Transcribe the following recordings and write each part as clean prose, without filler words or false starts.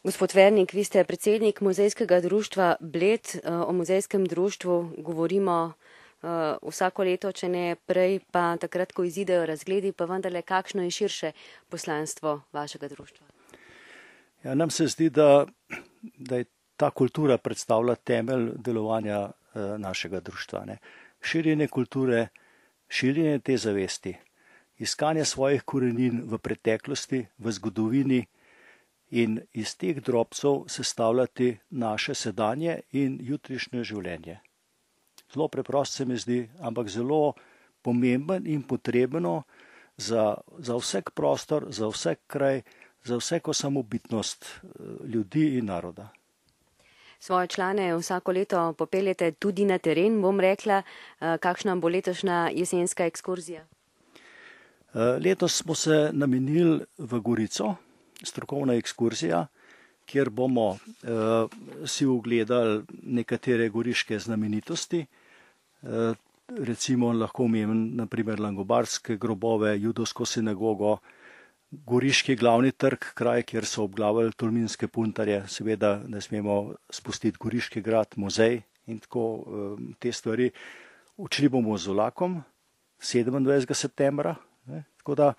Gospod Vernik, vi ste predsednik Muzejskega društva Bled. O muzejskem društvu govorimo vsako leto, če ne prej, pa takrat, ko izidejo razgledi, pa vendarle, kakšno je širše poslanstvo vašega društva? Ja, nam se zdi, da je ta kultura predstavlja temelj delovanja našega društva. Ne. Širjenje kulture, širjenje te zavesti, iskanje svojih korenin v preteklosti, v zgodovini in iz teh drobcev sestavljati naše sedanje in jutrišnje življenje. Zelo preprosto se mi zdi, ampak zelo pomemben in potrebno za vsak prostor, za vsak kraj, za vsako samobitnost ljudi in naroda. Svoje člane vsako leto popeljete tudi na teren, bom rekla, kakšna bo letošnja jesenska ekskurzija? Letos smo se namenili v Gorico, strokovna ekskurzija, kjer bomo si ogledali nekatere goriške znamenitosti. Recimo lahko omenim naprimer langobardske grobove, judovsko sinagogo, goriški glavni trg, kraj, kjer so obglavili tolminske puntarje, seveda ne smemo spustiti goriški grad, muzej in tako te stvari. Učili bomo z vlakom 27. septembra, ne, tako da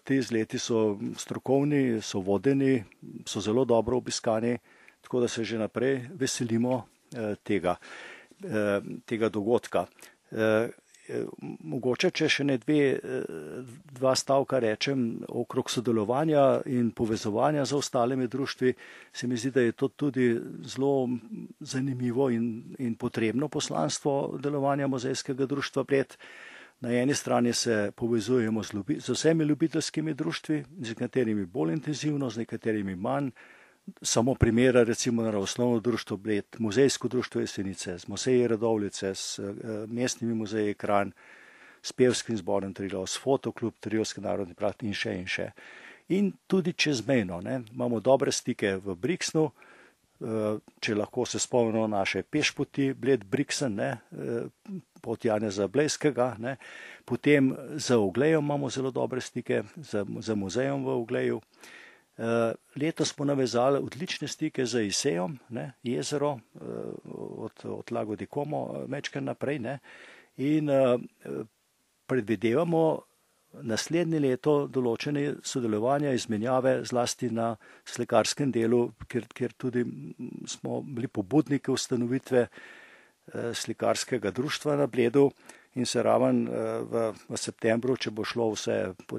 ti izleti so strokovni, so vodeni, so zelo dobro obiskani, tako da se že naprej veselimo tega dogodka. Mogoče, če še dva stavka rečem okrog sodelovanja in povezovanja z ostalimi društvi, se mi zdi, da je to tudi zelo zanimivo in potrebno poslanstvo delovanja Muzejskega društva Bled. Na eni strani se povezujemo z vsemi ljubiteljskimi društvi, z nekaterimi bolj intenzivno, z nekaterimi manj. Samo primera, recimo Naravoslovno društvo Bled, Muzejsko društvo Jesenice, z muzeji Radovljice, s mestnimi muzeji Kranj, s pevskim zborom Triglav, s fotoklub Triglavski narodni park in še in še. In tudi čezmejno, ne, imamo dobre stike v Brixnu, če lahko se spomnimo naše pešpoti, Bled Brixen, ne, pot Janeza Blejskega, ne. Potem z Oglejem imamo zelo dobre stike, z muzejem v Ogleju. Letos smo navezali odlične stike z Isejem, ne, jezero od Lago di Como mečke naprej, ne, in predvidevamo naslednje leto določene sodelovanja, izmenjave zlasti na slikarskem delu, kjer tudi smo bili pobudniki ustanovitve slikarskega društva na Bledu in se raven v septembru, če bo šlo vse po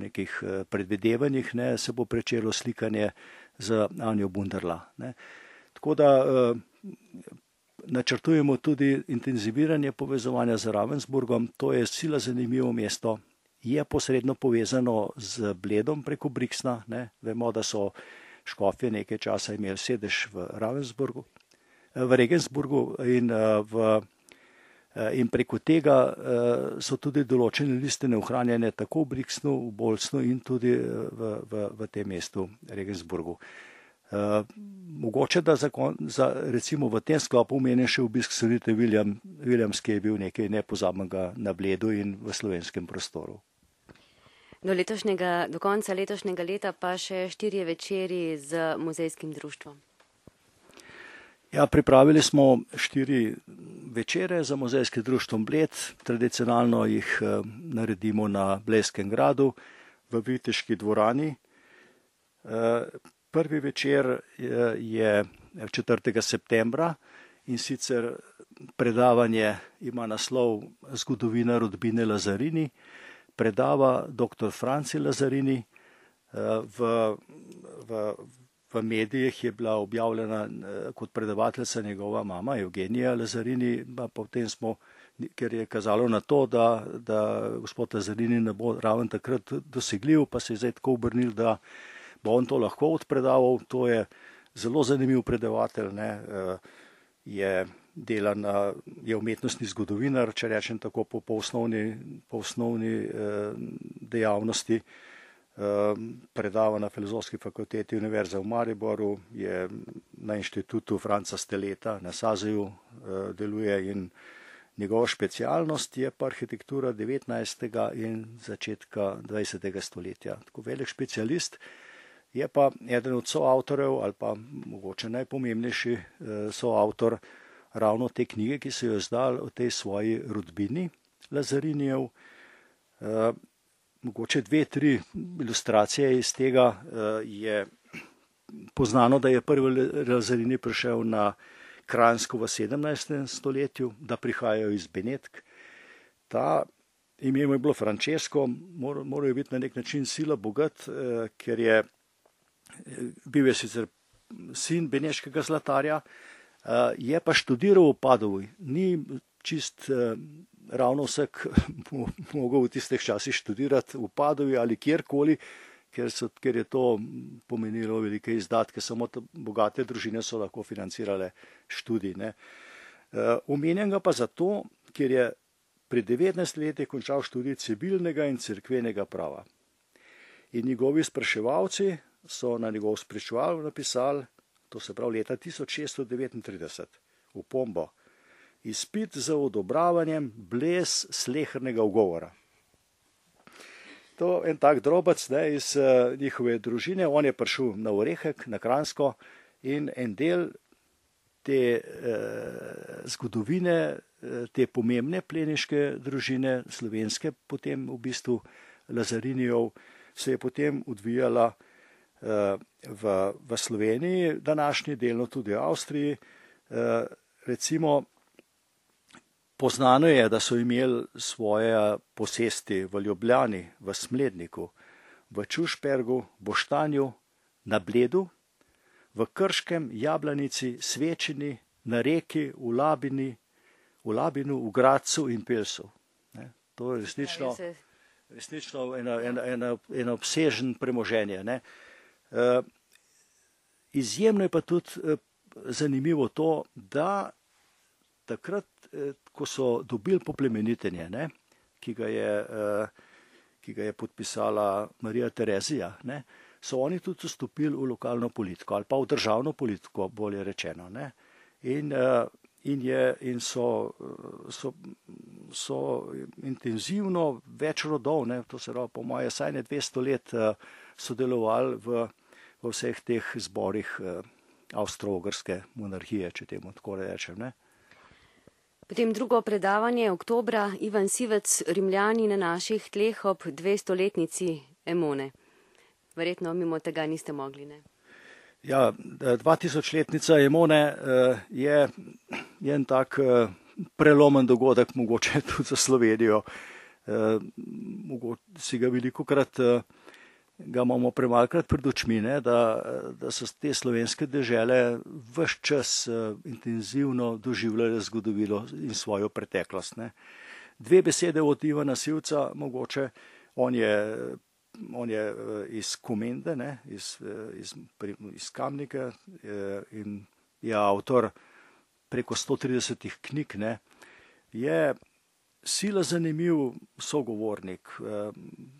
nekih predvidevanjih, ne, se bo pričelo slikanje z Anjo Bunderla. Ne. Tako da načrtujemo tudi intenziviranje povezovanja z Ravensburgom, to je sila zanimivo mesto, je posredno povezano z Bledom preko Brixna, ne. Vemo, da so škofje nekaj časa imeli sedež v Regensburgu in preko tega so tudi določene listine ohranjene tako v Brixnu, v Bolsnu in tudi v tem mestu Regensburgu. Mogoče, da recimo v tem sklopu omenim še obisk Sunite Williams, ki je bil nekaj nepozabnega na Bledu in v slovenskem prostoru. Do konca letošnjega leta pa še 4 večeri z Muzejskim društvom. Ja, pripravili smo 4 večere za Muzejskim društvom Bled. Tradicionalno jih naredimo na Blejskem gradu v Viteški dvorani. Prvi večer je 4. septembra in sicer predavanje ima naslov Zgodovina rodbine Lazarini. Predava dr. Franci Lazarini. V medijih je bila objavljena kot predavateljica njegova mama Evgenija Lazarini, pa potem smo, ker je kazalo na to, da gospod Lazarini ne bo ravno takrat dosegljiv, pa se je zdaj tako obrnil, da bo on to lahko odpredaval. To je zelo zanimiv predavatelj, ne, je umetnostni zgodovinar, če rečem tako, po osnovni dejavnosti. Predava na Filozofski fakulteti Univerze v Mariboru, je na inštitutu Franca Steleta na Sazeju deluje in njegova specialnost je pa arhitektura 19. in začetka 20. stoletja. Tako velik specialist Je pa eden od soavtorjev ali pa mogoče najpomembnejši soavtor ravno te knjige, ki so jo izdali o tej svoji rodbini Lazarinijev. Mogoče 2-3 ilustracije iz tega. Je poznano, da je prvi Lazarini prišel na Kranjsko v 17. stoletju, da prihajajo iz Benetk. Ta ime mu je bilo Francesco, moral je biti na nek način sila bogat, ker je bil je sicer sin beneškega zlatarja, je pa študiral v Padovi. Ni čist ravno vsak mogel v tistih časih študirati v Padovi ali kjerkoli, ker je to pomenilo velike izdatke, samo bogate družine so lahko financirale študij. Omenjam ga pa zato, ker je pri 19 letih končal študij civilnega in cerkvenega prava. In njegovi spraševalci so na njegov spričeval napisali, to se pravi leta 1639, opombo: izpit za odobravanjem brez slehernega ugovora. To en tak drobec iz njihove družine, on je prišel na Orehek, na Kranjsko, in en del te zgodovine, te pomembne plemiške družine, slovenske, potem v bistvu Lazarinijev, se je potem odvijala v Sloveniji, današnji delno tudi v Avstriji. Recimo, poznano je, da so imeli svoje posesti v Ljubljani, v Smledniku, v Čušpergu, Boštanju, na Bledu, v Krškem, Jablanici, Svečini, na Reki, v Labinu, v Gradcu in Pelsu. To je resnično eno obsežen premoženje. Izjemno je pa tudi zanimivo to, da takrat, ko so dobili poplemenitenje, ki ga je podpisala Marija Terezija, so oni tudi vstopili v lokalno politiko ali pa v državno politiko, bolje rečeno. In so intenzivno več rodov, to se pravi po moje saj ne 200 let, sodelovali v vseh teh zborih avstro-ogrske monarhije, če temu tako rečem. Potem drugo predavanje oktobra, Ivan Sivec, Rimljani na naših tleh ob 200-letnici Emone. Verjetno mimo tega niste mogli, ne? Ja, 2000-letnica Emone je en tak prelomen dogodek, mogoče tudi za Slovenijo. Si ga velikokrat, ga imamo premalkrat pred očmi, da so te slovenske dežele ves čas intenzivno doživljale zgodovino in svojo preteklost. 2 besede od Ivana Sivca, mogoče. On je iz Komende, iz Kamnika, in je avtor preko 130 knjig. Je sila zanimiv sogovornik,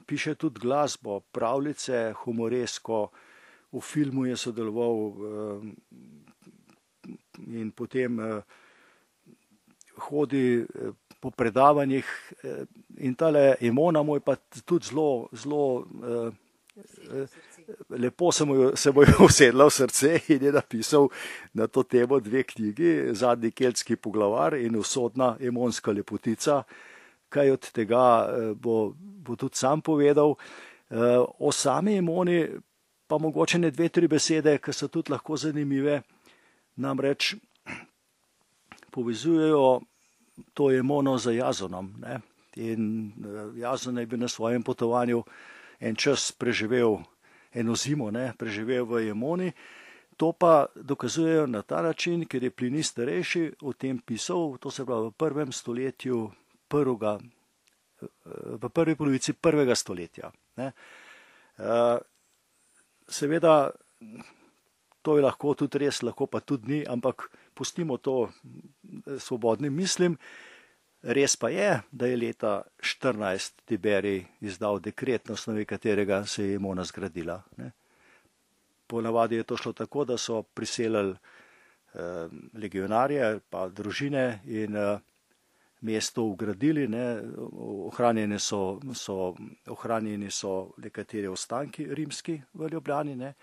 piše tudi glasbo, pravljice, humoresko, v filmu je sodeloval in potem hodi po predavanjih, in tale Emona mu je pa tudi zelo lepo se mu je usedla v srce in je napisal na to temo 2 knjigi, Zadnji keltski poglavar in Usodna emonska lepotica. Kaj od tega bo tudi sam povedal. O sami Emoni pa mogoče ne 2-3 besede, ki so tudi lahko zanimive. Namreč povezujejo to Emono z Jazonom. In Jazon je bil na svojem potovanju en čas preživel, eno zimo, preživel v Emoni. To pa dokazujejo na ta način, ker je Plinij starejši o tem pisal, to se pravi v 1. stoletju, v prvi polovici 1. stoletja. Seveda, to je lahko tudi res, lahko pa tudi ni, ampak pustimo to svobodnim mislim. Res pa je, da je leta 14 Tiberij izdal dekret, na osnovi katerega se je Emona zgradila. Ponavadi je to šlo tako, da so priselili legionarje pa družine in mesto ugradili, ne, ohranjeni so nekateri ostanki rimski v Ljubljani, ne.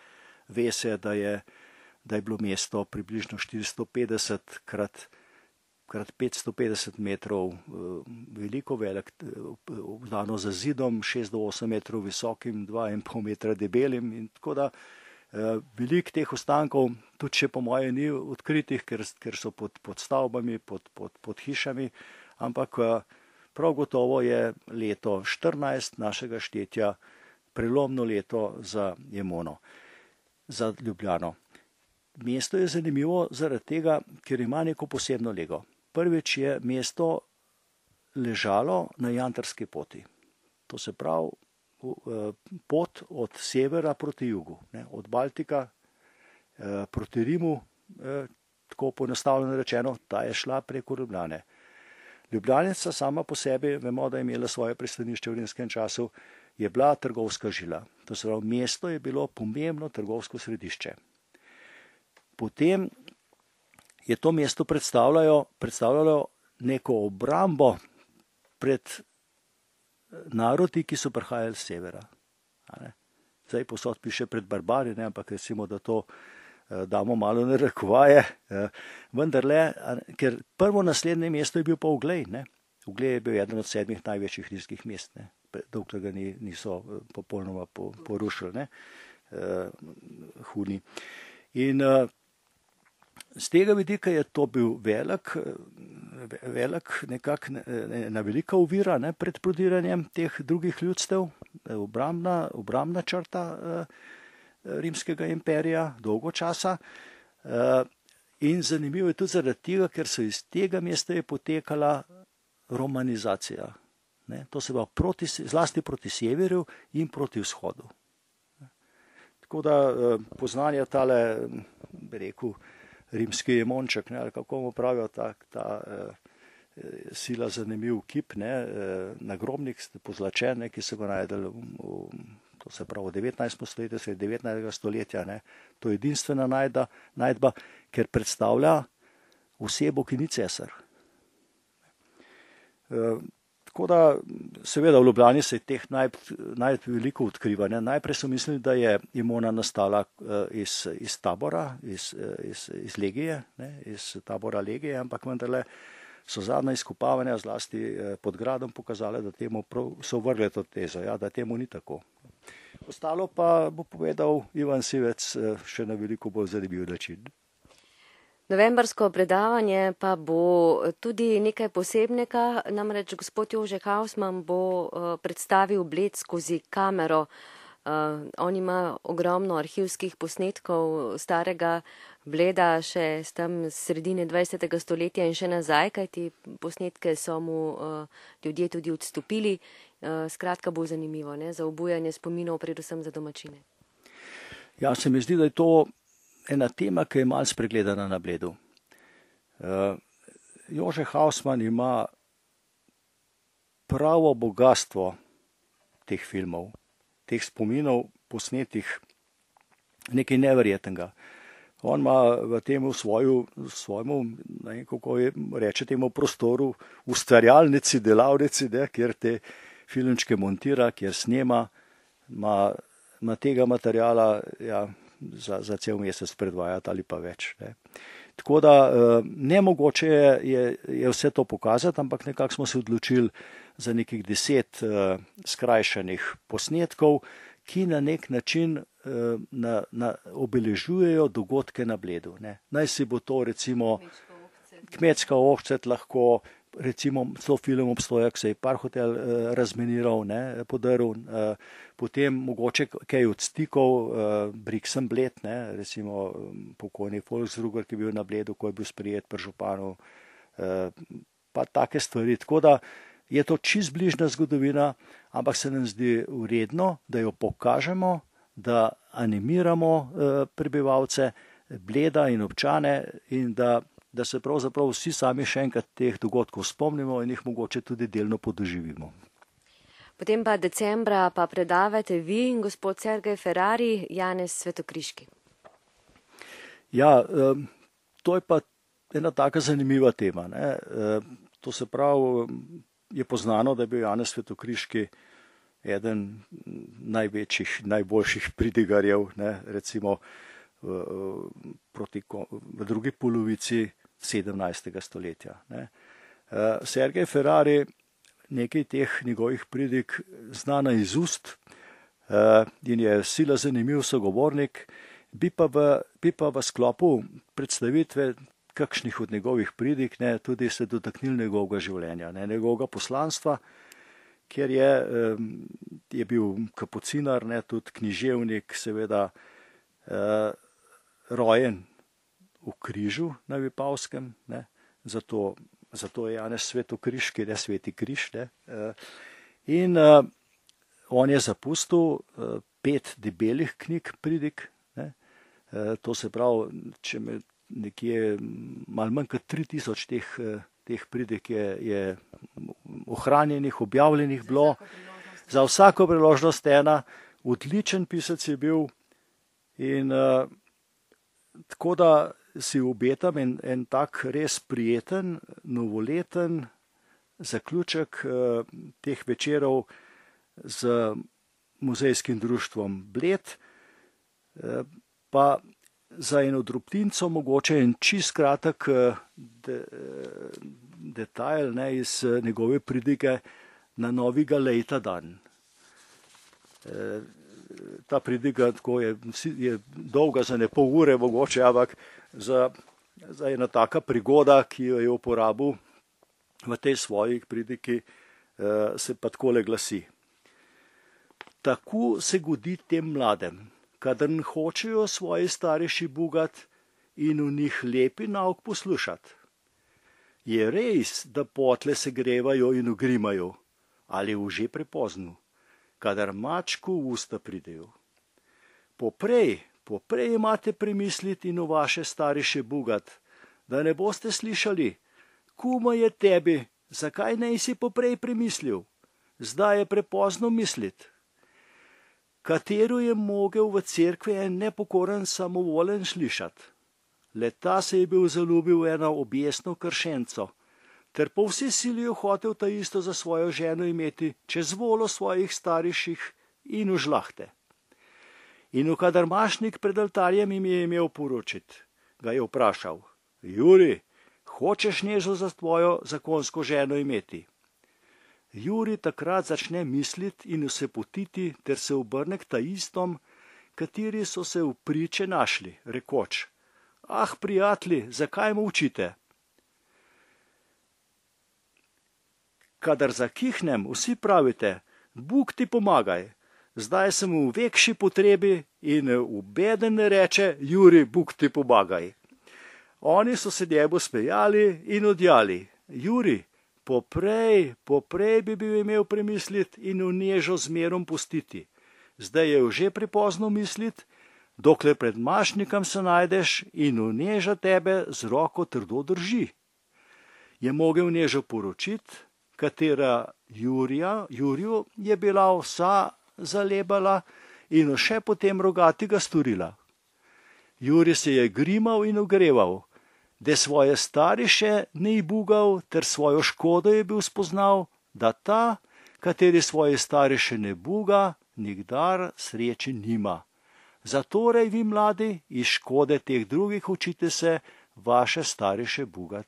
Ve se, da je bilo mesto približno 450 krat 550 metrov veliko, obdano za zidom, 6 do 8 metrov visokim, 2,5 metra debelim, in tako da veliko teh ostankov tudi še po moje ni odkritih, ker so pod stavbami, pod hišami, ampak prav gotovo je leto 14 našega štetja prelomno leto za Emono, za Ljubljano. Mesto je zanimivo zaradi tega, ker ima neko posebno lego. Prvič je mesto ležalo na Jantarski poti. To se pravi pot od severa proti jugu, ne, od Baltika proti Rimu, tako poenostavljeno rečeno, ta je šla preko Ljubljane. Ljubljanica sama po sebi, vemo, da je imela svoje pristanišče v rimskem času, je bila trgovska žila. To se pravi, mesto je bilo pomembno trgovsko središče. Potem je to mesto predstavljalo neko obrambo pred narodi, ki so prihajali z severa. Zdaj posod piše pred barbari, ne, ampak recimo, da to damo malo narekovaje, vendarle, ker prvo naslednje mesto je bil pa Uglej, ne. Uglej je bil eden od 7 največjih rimskih mest, ne, dokler ga niso popolnoma porušili, ne, Huni. In z tega vidika je to bil ena velika ovira, ne, pred prodiranjem teh drugih ljudstev, obrambna črta rimskega imperija dolgo časa. In zanimivo je tudi zaradi tega, ker so iz tega mesta je potekala romanizacija. Ne, to se pravi zlasti proti severu in proti vzhodu. Tako da poznanja tale, bi rekel, rimski jemonček, ne, ali kako mu pravijo, ta sila zanimiv kip, ne, nagrobnik pozlačen, ne, ki so ga najdeli to se pravi v 19. stoletju, 19. stoletja, ne. To je edinstvena najdba, ker predstavlja osebo, ki ni cesar. Tako da, seveda v Ljubljani se je teh najti veliko odkrivanja. Najprej so mislili, da je Emona nastala iz tabora, iz legije, ne, iz tabora legije, ampak vendarle so zadnja izkopavanja zlasti pod gradom pokazale, da temu so vrgli to tezo, ja, da temu ni tako. Ostalo pa bo povedal Ivan Sivec še na veliko bolj zanimiv način. Novembrsko predavanje pa bo tudi nekaj posebnega, namreč gospod Jože Hausman bo predstavil Bled skozi kamero. On ima ogromno arhivskih posnetkov starega Bleda še tam sredine 20. stoletja in še nazaj, kajti posnetke so mu ljudje tudi odstopili. Skratka bo zanimivo, ne, za obujanje spominov, predvsem za domačine. Ja, se mi zdi, da je to ena tema, ki je malo spregledana na Bledu. Jože Hausman ima pravo bogatstvo teh filmov, teh spominov posnetih, nekaj neverjetnega. On ima v tem svojemu, kako reče temu prostoru, ustvarjalnici, delavnici, ne, kjer te filmčke montira, kjer snema, ima tega materijala, ja, za cel mesec predvajati ali pa več. Ne. Tako da nemogoče je vse to pokazati, ampak nekako smo se odločili za nekih 10 skrajšanih posnetkov, ki na nek način obeležujejo dogodke na Bledu. Ne. Naj si bo to recimo kmetska ohcet, lahko recimo celo film obstoja, ko se je Parhotel razminiral, ne, podrl, potem mogoče kaj od stikov, Brixen Bled, ne, recimo pokojni Volksruger, ki je bil na Bledu, ko je bil sprejet pri županu, pa take stvari. Tako da je to čist bližnja zgodovina, ampak se nam zdi vredno, da jo pokažemo, da animiramo prebivalce Bleda in občane in da se pravzaprav vsi sami še enkrat teh dogodkov spomnimo in jih mogoče tudi delno podoživimo. Potem pa decembra pa predavate vi, gospod Sergej Ferrari, Janez Svetokriški. Ja, to je pa ena taka zanimiva tema, ne. To se pravi, je poznano, da je bil Janez Svetokriški eden največjih, najboljših pridigarjev, ne, recimo v drugi polovici 17. stoletja. Ne. Sergej Ferrari nekaj teh njegovih pridig zna na izust in je sila zanimiv sogovornik, bi pa v sklopu predstavitve kakšnih od njegovih pridig tudi se dotaknil njegovega življenja, njegovega poslanstva, ker je bil kapucinar, tudi književnik, seveda rojen v križu na Vipavskem, zato je Janez Svetokriški, ne Sveti križ. In on je zapustil 5 debelih knjig pridig. To se pravi, če me nekje malo manj kot 3000 teh pridig je ohranjenih, objavljenih bilo. Za vsako priložnost ena, odličen pisec je bil in tako da si obetam en tak res prijeten, novoleten zaključek teh večerov z muzejskim društvom Bled, pa za eno drobtinco mogoče en čist kratek detajl iz njegove pridige na Novi Galejta dan. Ta pridiga tako je dolga za ne pol ure mogoče, ampak za ena taka prigoda, ki jo je uporabil v tej svoji pridigi, se pa takole glasi. Tako se godi tem mladem, kadar hočejo svoji starejši bugat in v njih lepi nauk poslušat. Je res, da potle se grevajo in ugrimajo, ali v že prepozno, kadar mačku v usta pridejo. Poprej imate premisliti in v vaše starejše bugat, da ne boste slišali, kuma je tebi, zakaj ne si poprej premislil, zdaj je prepozno mislit. Katero je mogel v cerkvi en nepokoren samovolen slišat. Leta se je bil zaljubil eno objesno kršenco, ter po vsi sili je hotel ta isto za svojo ženo imeti, čez volo svojih starejših in v žlahte. In kadar mašnik pred altarjem jim je imel poročit, ga je vprašal, Juri, hočeš nežo za tvojo zakonsko ženo imeti? Juri takrat začne misliti in se potiti, ter se obrne k ta istom, kateri so se v priče našli, rekoč, ah, prijatelji, zakaj molčite? Kadar zakihnem, vsi pravite, Bog ti pomagaj, zdaj sem v vekši potrebi in ubeden ne reče, Juri, Bog ti pomagaj. Oni so se njemu smejali in odjali, Juri, poprej bi bil imel premisliti in v nežo zmerom pustiti. Zdaj je že prepozno misliti, dokler pred mašnikom se najdeš in v neža tebe z roko trdo drži. Je mogel nežo poročiti, katera Juriju je bila vsa zalebala in še potem rogatiga storila. Juri se je grimal in ogreval, da svoje stariše ne bugal, ter svojo škodo je bil spoznal, da ta, kateri svoje stariše ne buga, nikdar sreče nima. Zatorej vi mladi iz škode teh drugih učite se vaše stariše bugat.